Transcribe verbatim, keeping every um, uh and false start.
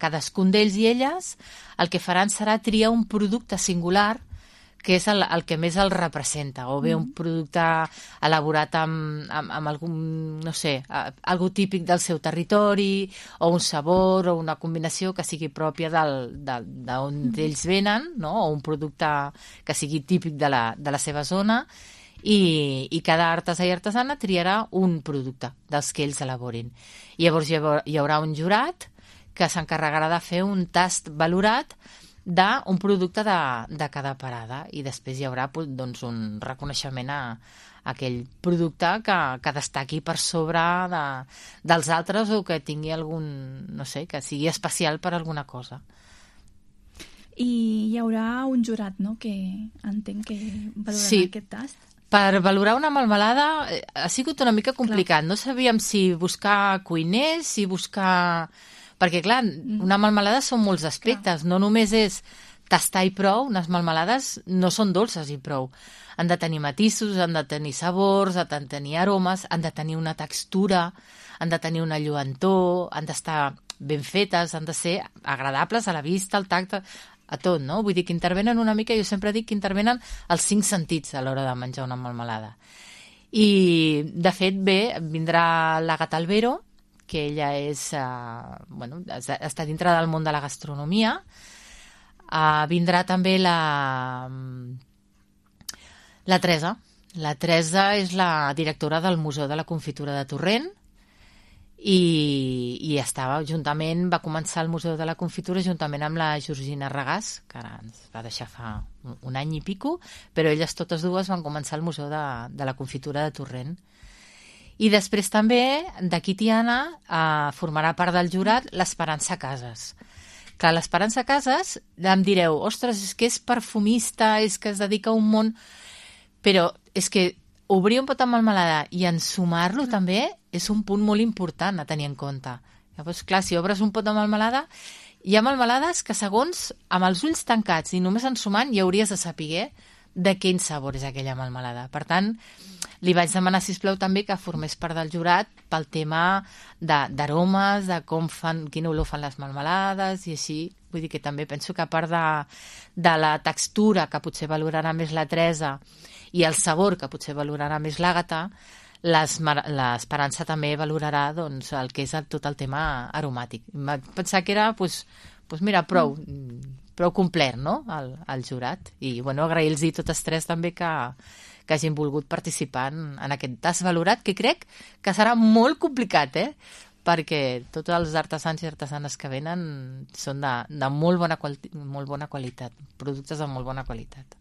cadascun d'ells i elles el que faran serà triar un producte singular que és el, el que més el representa, o bé un producte elaborat amb, amb, amb algun, no sé, algú típic del seu territori, o un sabor, o una combinació que sigui pròpia del, de, d'on mm. ells venen, no? O un producte que sigui típic de la, de la seva zona, i, i cada artesà i artesana triarà un producte dels que ells elaborin. I llavors hi haurà, hi haurà un jurat que s'encarregarà de fer un tast valorat d'un producte de, de cada parada, i després hi haurà doncs, un reconeixement a, a aquell producte que, que destaqui per sobre de, dels altres, o que tingui algun, no sé, que sigui especial per alguna cosa. I hi haurà un jurat, no?, que entenc que valorarà sí. aquest tast. Per valorar una melmelada ha sigut una mica complicat. Clar. No sabíem si buscar cuiners, si buscar... Perquè, clar, una melmelada són molts aspectes. Clar. No només és tastar i prou. Unes melmelades no són dolces i prou. Han de tenir matisos, han de tenir sabors, han de tenir aromes, han de tenir una textura, han de tenir una lluentor, han d'estar ben fetes, han de ser agradables a la vista, al tacte, a tot, no? Vull dir que intervenen una mica, jo sempre dic que intervenen els cinc sentits a l'hora de menjar una melmelada. I, de fet, bé, vindrà l'Àgata Albero, que ella és, uh, bueno, està dintre del món de la gastronomia. Uh, vindrà també la, la Teresa. La Teresa és la directora del Museu de la Confitura de Torrent, i, i estava juntament, va començar el Museu de la Confitura juntament amb la Georgina Regàs, que ara ens va deixar fa un, un any i pico, però elles totes dues van començar el Museu de, de la Confitura de Torrent. I després també, d'aquí Tiana, eh, formarà part del jurat l'Esperança Casas. Clar, l'Esperança Casas, em direu, ostres, és que és perfumista, és que es dedica a un món... Però és que obrir un pot amb melmelada i ensumar-lo mm. també és un punt molt important a tenir en compte. Llavors, clar, si obres un pot de melmelada, hi ha melmelades que segons, amb els ulls tancats i només ensumant, ja hauries de saber de quin sabor és aquella melmelada. Per tant, li vaig demanar, sisplau, també que formés part del jurat pel tema d'aromes, de, de com fan, quina olor fan les melmelades i així. Vull dir que també penso que a part de, de la textura, que potser valorarà més la Teresa, i el sabor, que potser valorarà més l'Àgata, l'Esperança també valorarà doncs, el que és el, tot el tema aromàtic. Vaig pensar que era, doncs, doncs mira, prou, prou complet, no?, el, el jurat. I, bueno, agrair-los totes tres també que, que hagin volgut participar en, en aquest tast valorat, que crec que serà molt complicat, eh?, perquè tots els artesans i artesanes que venen són de, de molt bona, quali molt bona qualitat, productes de molt bona qualitat.